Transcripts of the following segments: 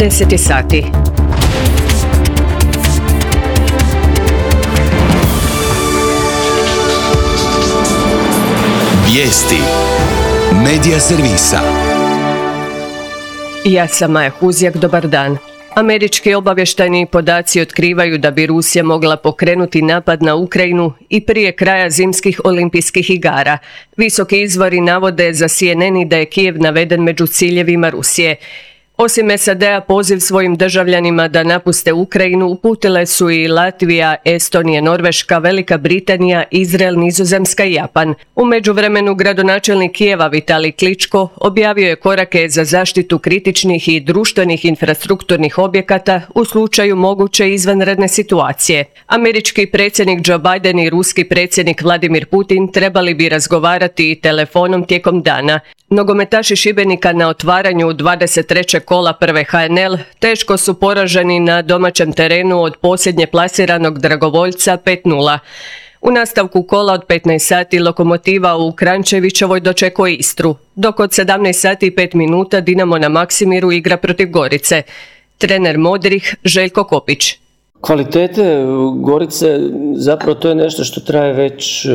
10 sati. Vijesti Medija servisa. Ja sam Maja Huzjak, dobar dan. Američki obavještajni podaci otkrivaju da bi Rusija mogla pokrenuti napad na Ukrajinu i prije kraja zimskih olimpijskih igara. Visoki izvori navode za CNN da je Kijev naveden među ciljevima Rusije. Osim SAD-a, poziv svojim državljanima da napuste Ukrajinu uputile su i Latvija, Estonija, Norveška, Velika Britanija, Izrael, Nizozemska i Japan. U međuvremenu gradonačelnik Kijeva Vitalij Kličko objavio je korake za zaštitu kritičnih i društvenih infrastrukturnih objekata u slučaju moguće izvanredne situacije. Američki predsjednik Joe Biden i ruski predsjednik Vladimir Putin trebali bi razgovarati telefonom tijekom dana. Nogometaši Šibenika na otvaranju 23. kola prve HNL teško su poraženi na domaćem terenu od posljednje plasiranog Dragovoljca 5:0. U nastavku kola od 15 sati Lokomotiva u Kranjčevićevoj dočekuje Istru, dok od 17 sati i 5 minuta Dinamo na Maksimiru igra protiv Gorice. Trener Modrih Željko Kopić. Kvalitete Gorice, zapravo to je nešto što traje već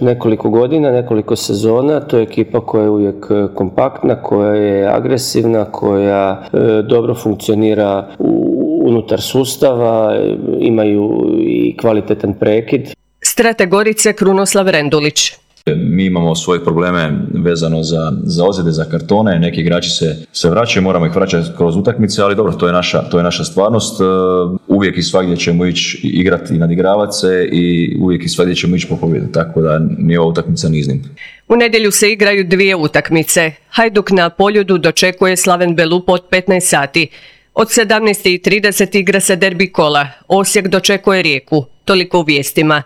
nekoliko godina, nekoliko sezona. To je ekipa koja je uvijek kompaktna, koja je agresivna, koja dobro funkcionira unutar sustava, imaju i kvalitetan prekid. Strateg Gorice Krunoslav Rendulić. Mi imamo svoje probleme vezano za ozljede, za kartone, neki igrači se vraćaju, moramo ih vraćati kroz utakmice, ali dobro, to je naša stvarnost. Uvijek i svagdje ćemo ići igrati i nadigravati se i uvijek i svagdje ćemo ići po pobjedu, tako da nije ova utakmica ni iznimka. U nedjelju se igraju dvije utakmice. Hajduk na Poljudu dočekuje Slaven Belupo od 15 sati. Od 17:30 igra se derbi kola. Osijek dočekuje Rijeku. Toliko u vijestima.